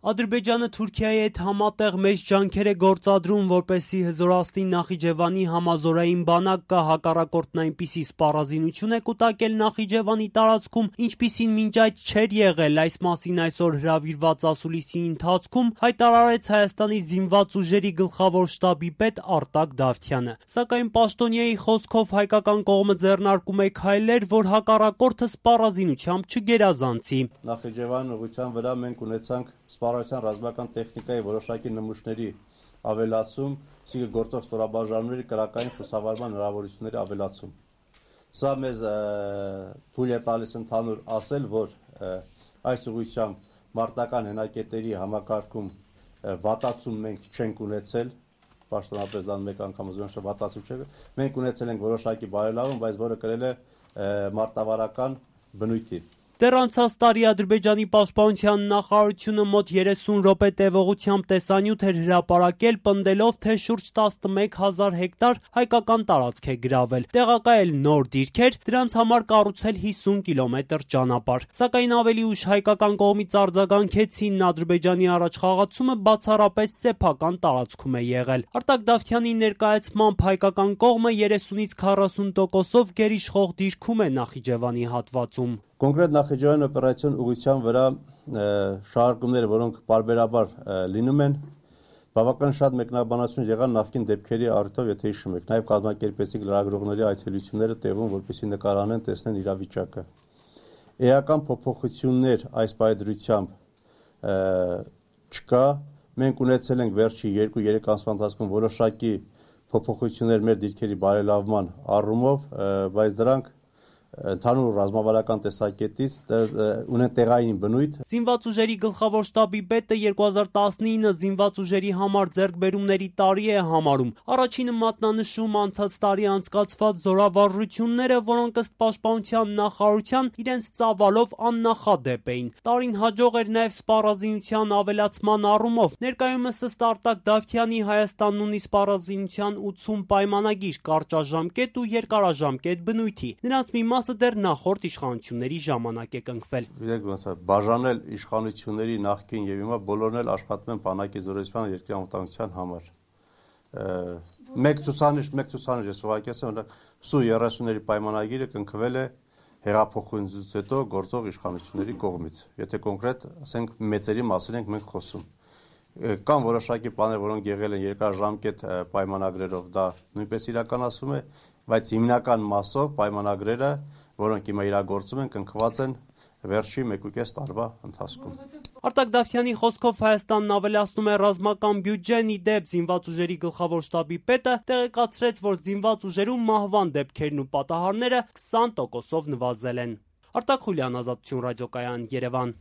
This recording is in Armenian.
Ադրբեջանը Թուրքիայի հետ համատեղ մեծ ջանքեր է գործադրում, որպեսզի հզորացնի Նախիջևանի համազորային բանակը, հակառակորդն այնպիսի սպառազինություն է կուտակել Նախիջևանի տարածքում, ինչպիսին մինչ այդ չէր եղել, այս մասին այսօր հրավիրված ասուլիսի ընթացքում հայտարարեց Հայաստանի զինված ուժերի գլխավոր շտաբի պետ Արտակ Դավթյանը։ Սակայն պաշտոնյայի խոսքով հայկական կողմը ձեռնարկում է քայլեր, որ հակառակորդը սպառազինությամբ չգերազանցի։ Նախիջևանի ուղղության վրա մենք ունեցանք սպառազինության ռազմական տեխնիկայի որոշակի նմուշների ավելացում, իսկ գործող ստորաբաժանումների կրակային խուսավարման հնարավորությունների ավելացում։ Սա մեզ թույլ է տալիս ընդհանուր ասել, որ այս ուղղությամբ մարտական հենակետերի համակարգում վատացում մենք չենք ունեցել, պաշտոնապես դա մեկ անգամ վատացում չէ, մենք ունեցել ենք որոշակի բարելավում, բայց որը կրել է մարտավարական բնույթի։ Դեռ անցած տարի Ադրբեջանի պաշտպանության նախարարությունը մոտ 30 րոպե տևողությամբ տեսանյութ էր հրապարակել, պնդելով, թե շուրջ 11,000 հեկտար հայկական տարածք է գրավել, տեղակայել նոր դիրքեր, դրանց համար կառուցել 50 կիլոմետր ճանապարհ։ Սակայն ավելի ուշ հայկական կողմից արձագանքեցին, Ադրբեջանի առաջխաղացումը բացառապես սեփական տարածքում է եղել։ Արտակ Դավթյանի ներկայացմամբ հայկական կողմը 30-ից 40%-ով գերիշխող դիրքում է Նախիջևանի հատվածում։ Կոնկրետ Նախիջևանի օպերացիոն ուղղության վրա շարժումները, որոնք պարբերաբար լինում են, բավական շատ մեկնաբանություն եղան նախկին դեպքերի առիթով, եթե հիշում եք, նաև կազմակերպեցին լրագրողների այցելությունները տեղում, որպեսզի նկարանեն, տեսնեն իրավիճակը։ Էական փոփոխություններ այս պայծրությամբ չկա։ Մենք ունեցել ենք վերջի 2-3 ամսվա ընթացքում որոշակի փոփոխություններ մեր դիրքերի բարելավման առումով, բայց դրանք ընդհանուր ռազմավարական տեսակետից ունեն տեղային բնույթ։ Զինված ուժերի գլխավոր շտաբի պետը 2019 զինված ուժերի համար ձեռքբերումների տարի է համարում։ Առաջինը մատնանշում անցած տարի անցկացված զորավարժությունները, որոնք ըստ պաշտպանության նախարարության իրենց ծավալով աննախադեպ էին։ Տարին հաջող էր նաև սպառազինության ավելացման առումով։ Ներկայումս ըստ Արտակ Դավթյանի Հայաստանն ունի սպառազինության 80 պայմանագիր, կարճաժամկետ ու երկարաժամկետ բնույթի։ Նրանց մի մասը դեռ նախորդ իշխանությունների ժամանակ է կնքվել։ Գիտեք ոնց է, բաժանել իշխանությունների նախկին եւ հիմա բոլորն էլ աշխատում են բանակի զորացման երկրի անվտանգության համար։ Մեկ ցուցանիշ ես ուղղակի ասեմ, սու 30-ների պայմանագիրը կնքվել է հեղափոխությունից հետո գործող իշխանությունների կողմից։ Եթե կոնկրետ ասենք մեծերի մասին ենք մենք խոսում։ Կան որոշակի բաներ, որոնք եղել են երկարաժամկետ պայմանագրերով, դա նույնպես իրականացում է, բայց հիմնական մասով պայմանագրերը, որոնք հիմա իրագործում են, կնքված են վերջի 1.5 տարվա ընթացքում։ Արտակ Դավթյանի խոսքով Հայաստանն ավելացնում է ռազմական բյուջեն, ի դեպ զինված ուժերի գլխավոր շտաբի պետը տեղեկացրեց, որ զինված ուժերում մահվան դեպքերն ու պատահարները 20%-ով նվազել են։ Արտակ Խուլյան, Ազատություն ռադիոկայան, Երևան։